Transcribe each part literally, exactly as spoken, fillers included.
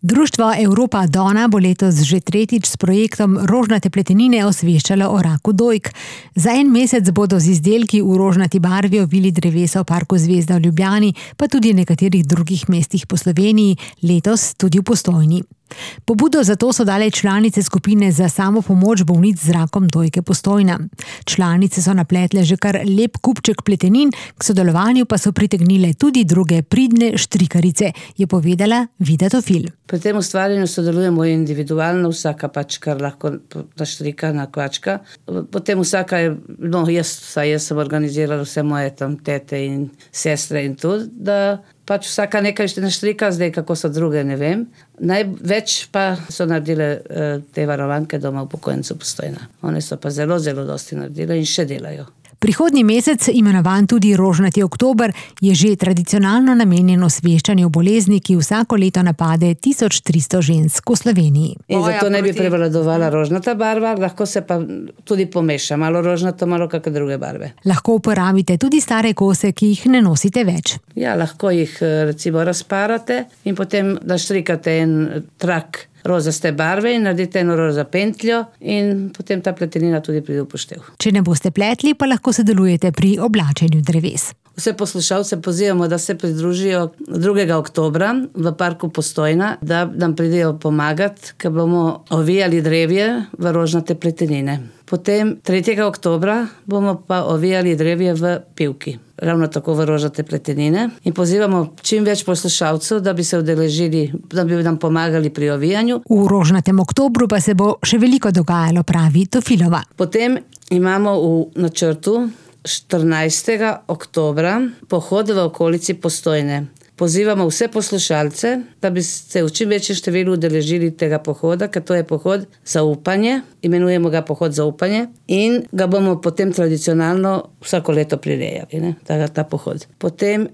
Društvo Europa Donna bo letos že tretjič s projektom Rožnate pletenine osveščalo o raku dojk. Za en mesec bodo z izdelki v rožnati barvi ovili drevesa v parku Zvezda v Ljubljani, pa tudi v nekaterih drugih mestih po Sloveniji, letos tudi v Postojni. Pobudo za to so dale članice skupine za samopomoč bolnic z rakom dojke Postojna. Članice so napletle že kar lep kupček pletenin, k sodelovanju pa so pritegnile tudi druge pridne štrikarice, je povedala Vida Tofil. Pri tem ustvarjanju sodelujemo individualno, vsaka pač kar lahko naštrika, nakvačka. Potem vsaka je, no jaz, saj jaz sem organizirala vse moje tam tete in sestre in tudi, da pač vsaka nekaj naštrika, zdaj kako so druge, ne vem. Največ pa so naredile uh, te varovanke doma upokojencev Postojna. One so pa zelo, zelo dosti naredile in še delajo. Prihodnji mesec, imenovan tudi Rožnati oktober, je že tradicionalno namenjen osveščanju bolezni, ki vsako leto napade tisoč tristo žensk v Sloveniji. In zato ne bi prevladovala rožnata barva, lahko se pa tudi pomeša, malo rožnato, malo kakšne druge barve. Lahko uporabite tudi stare kose, ki jih ne nosite več. Ja, lahko jih recimo razparate in potem naštrikate en trak rozaste barve in naredite eno roza pentljo in potem ta pletenina tudi pride v poštev. Če ne boste pletli, pa lahko sodelujete pri oblačenju dreves. Vse poslušalce pozivamo, da se pridružijo drugega oktobra v parku Postojna, da nam pridejo pomagati, ker bomo ovijali drevje v rožnate pletenine. Potem tretjega oktobra bomo pa ovijali drevje v Pivki, ravno tako v rožnate pletenine. In pozivamo čim več poslušalcev, da bi se udeležili, da bi nam pomagali pri ovijanju. V rožnatem oktobru pa se bo še veliko dogajalo, pravi Tofilova. Potem imamo v načrtu štirinajstega oktobra pohod v okolici Postojne. Pozivamo vse poslušalce, da bi se v čim večjem številu udeležili tega pohoda, ker to je pohod za upanje, imenujemo ga pohod za upanje in ga bomo potem tradicionalno vsako leto prirejali, ne, ta, ta pohod. Potem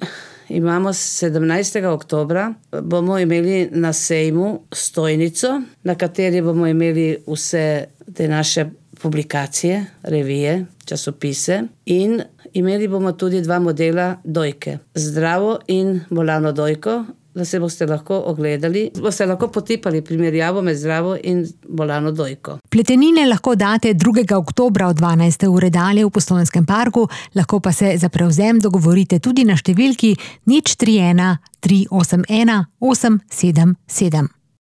imamo sedemnajstega oktobra, bomo imeli na sejmu stojnico, na kateri bomo imeli vse te naše publikacije, revije, časopise in imeli bomo tudi dva modela dojke. Zdravo in bolano dojko, da se boste lahko ogledali, boste lahko potipali primerjavo med zdravo in bolano dojko. Pletenine lahko date drugega oktobra od dvanajste ure dalje v Postojnskem parku, lahko pa se za prevzem dogovorite tudi na številki nič tri ena tri osem ena osem sedem sedem.